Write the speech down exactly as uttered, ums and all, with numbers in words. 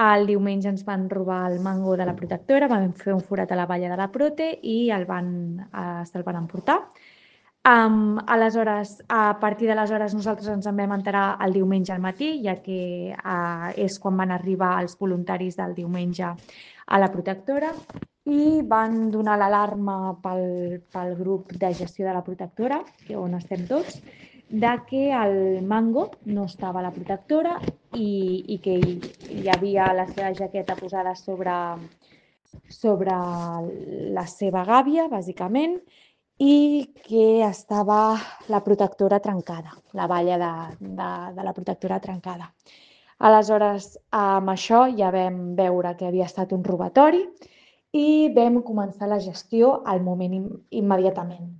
El diumenge ens van robar el mango de la protectora, vam fer un forat a la valla de la Prote i el van, eh, se'l van emportar. Um, aleshores, a partir d'aleshores nosaltres ens en vam enterar el diumenge al matí, ja que uh, és quan van arribar els voluntaris del diumenge a la protectora i van donar l'alarma pel, pel grup de gestió de la protectora, que on estem tots, de que el mango no estava a la protectora i, i que hi, hi havia la seva jaqueta posada sobre, sobre la seva gàbia, bàsicament, i que estava la protectora trencada, la valla de, de, de la protectora trencada. Aleshores, amb això ja vam veure que havia estat un robatori i vam començar la gestió al moment immediatament.